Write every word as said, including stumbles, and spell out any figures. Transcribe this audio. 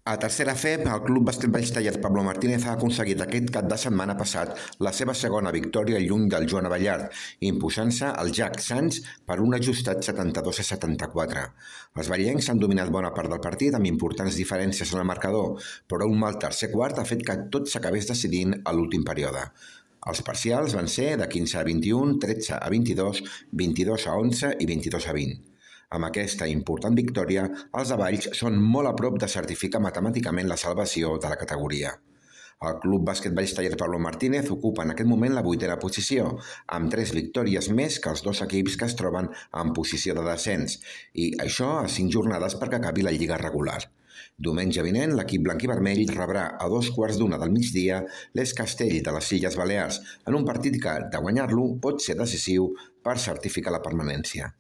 A tercera F E P, el Club Bàsquet Valls Taller Pablo Martínez ha aconseguit aquest cap de setmana passat la seva segona victòria lluny del Joan Abellard, imposant-se al Jack Sants per un ajustat setanta-dos a setanta-quatre. Els vallencs han dominat bona part del partit amb importants diferències en el marcador, però un mal tercer quart ha fet que tot s'acabés decidint a l'últim període. Els parcials van ser de quinze a vint-i-un, tretze a vint-i-dos, vint-i-dos a onze i vint-i-dos a vint. Amb aquesta important victòria, els de Valls són molt a prop de certificar matemàticament la salvació de la categoria. El Club Bàsquet Valls Taller Pablo Martínez ocupa en aquest moment la vuitena posició, amb tres victòries més que els dos equips que es troben en posició de descens, i això a cinc jornades perquè acabi la lliga regular. Diumenge vinent, l'equip blanc i vermell rebrà a dos quarts d'una del migdia l'Es Castell de les Illes Balears, en un partit que, de guanyar-lo, pot ser decisiu per certificar la permanència.